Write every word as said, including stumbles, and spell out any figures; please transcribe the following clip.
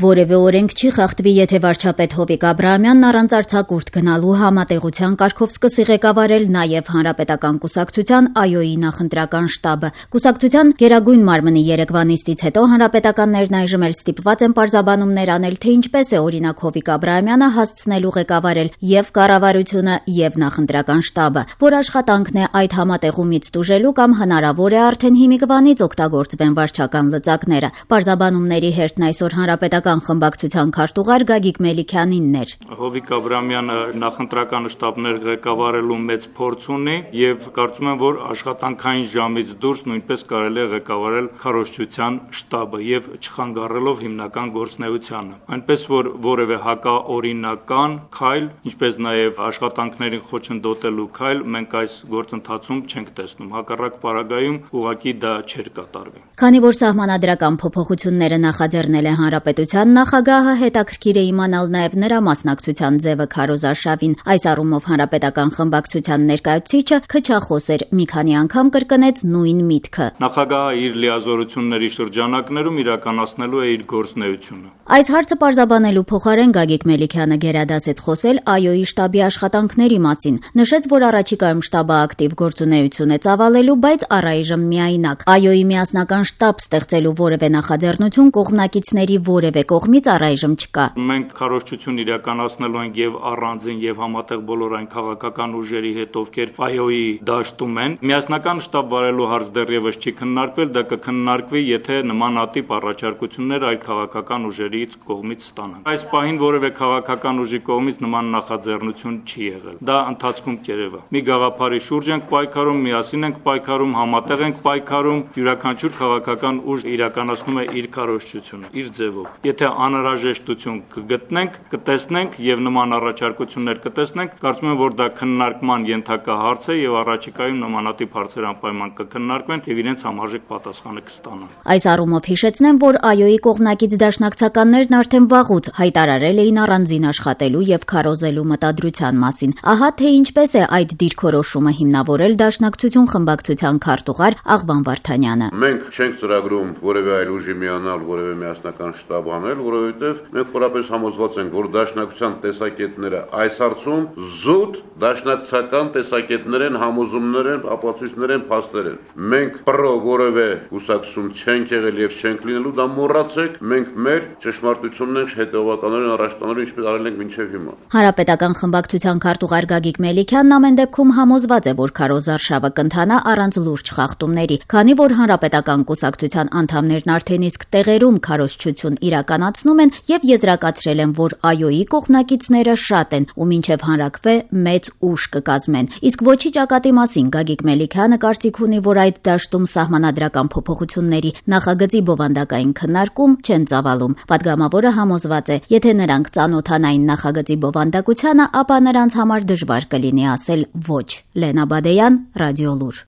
Որևէ օրենք չի խախտվի, եթե վարչապետ Հովիկ Աբրահամյանն առանց արձակուրդ գնալու համատեղության կարգով սկսի ղեկավարել նաև Հանրապետական կուսակցության ԱՅՈ-ի նախընտրական շտաբը։ Կուսակցության գերագույն մարմնի երեկվա նիստից հետո հանրապետականներն այժմ էլ ստիպված են պարզաբանումներ անել, թե ինչպես է օրինակ Հովիկ Աբրահամյանը հասցնելու ղեկավարել եւ կառավարությունը, եւ նախընտրական շտաբը, որ աշխատանքն է այդ համատեղումից տուժելու կամ հնարավոր է արդեն հիմիկվանից օգտագործվեն վարչական լծակները։ Պարզաբանումների հերթն այսօր հանրապետական խմբակցության քարտուղար Գագիկ Մելիքյանինն էր։ Հովիկ Աբրահամյանը նախընտրական շտաբներ ղեկավարելու մեծ փորձ ունի եւ կարծում եմ, որ աշխատանքային ժամից դուրս նույնպես կարելի է ղեկավարել քարոզչության շտաբը եւ չխանգարելով հիմնական գործունեությանը։ Այնպես որ որևէ հակաօրինական քայլ, ինչպես նաեւ աշխատանքներին խոչընդոտելու քայլ մենք այս գործընթացում չենք տեսնում։ Հակառակ պարագայում ուղղակի դա չէր կատարվի։ Քանի որ սահմանադրական փոփոխությունները նախաձեռնել է հանրապետության նախագահը, հետաքրքիր է իմանալ նաև նրա մասնակցության ձևը քարոզարշավին։ Այս առումով հանրապետական խմբակցության ներկայացուցիչը քչախոս էր, մի քանի անգամ կրկնեց նույն միտքը։ Նախագահը իր լիազորությունների շրջանակներում իրականացնելու է իր գործունեությունը։ Այս հարցը պարզաբանելու փոխարեն Գագիկ Մելիքյանը գերադասեց խոսել ԱՅՈ-ի շտաբի աշխատանքների մասին։ Նշեց, որ առաջիկայում շտաբը ակտիվ գործունեություն է ծավալելու, բայց առայժմ միայնակ։ ԱՅՈ-ի միասնական շտաբ ստեղծելու որևէ նախաձեռնություն կողմնակիցների որևէ կողմից առայժմ չկա։ Մենք քարոզչություն իրականացնելու ենք եւ առանձին եւ համատեղ բոլոր այն քաղաքական ուժերի հետ, ովքեր ԱՅՈ-ի դաշտում են։ Միասնական շտաբ վարելու հարց դեռևս չի քննարկվել, դա կքննարկվի, եթե նմանատիպ առաջարկություններ այլ քաղաքական ուժերից կողմից ստանան։ Այս պահին որևէ քաղաքական ուժի կողմից նման նախաձեռնություն չի եղել։ Դա ընթացքում կերևա։ Մի գաղափարի շուրջ ենք պայքարում, միասին ենք պայքարում, համատեղ ենք պայքարում, յուրաքանչյուր քաղաքական ուժ իրականացնում է իր քարոզչությունը, իր ձևով։ Եթե անհրաժեշտություն կգտնենք, կտեսնենք եւ նման առաջարկություններ կտեսնենք, կարծում եմ, որ դա քննարկման ենթակա հարց է եւ առաջիկայում նմանատիպ հարցեր անպայման կքննարկվեն եւ իրենց համարժեք պատասխանը կստանան։ Այս առումով հիշեցնեմ, որ ԱՅՈ-ի կողմնակից դաշնակցականներն արդեն վաղուց հայտարարել էին առանձին աշխատելու եւ քարոզելու մտադրության մասին։ Ահա թե ինչպես է այդ դիրքորոշումը հիմնավորել դաշնակցություն խմբակցության քարտուղար Աղվան Վարդանյանը։ Մենք չենք ծրագրում որևէ այլ ուժի միանալ, որևէ միասնական շտաբ անել, որովհետեւ մենք խորապես համոզված ենք, որ դաշնակցության տեսակետները այս հարցում զուտ դաշնակցական տեսակետներ են, համոզումներ են, ապացույցներ են, փաստեր են։ Մենք պրո որևէ կուսակցություն չենք եղել եւ չենք լինելու, դա մոռացեք, մենք մեր ճշմարտությունն ենք հետեւականորեն առաջ տանելու, ինչպես արել ենք մինչեւ հիմա։ Հանրապետական խմբակցության քարտուղար Գագիկ Մելիքյանն ամեն դեպքում համոզված է, որ քարոզարշավը կընթանա առանց լուրջ խախտումների, քանի որ հանրապետական կուսակցության անդամներն արդեն իսկ տեղերում քարոզչություն իրականացնում են եւ եզրակացրել են, որ ԱՅՈ-ի կողմնակիցները շատ են ու մինչեւ հանրակվե մեծ ուժ կկազմեն։ Իսկ ոչի ճակատի մասին Գագիկ Մելիքյանը կարծիք ունի, որ այդ դաշտում սահմանադրական փոփոխությունների նախագծի բովանդակային քննարկում չեն ծավալում։ Պատգամավորը համոզված է, եթե նրանք ծանոթանային նախագծի բովանդակությանը, ապա նրանց համար դժվար կլինի ասել ոչ։ Լենա Բադեյան, Ռադիոլուր։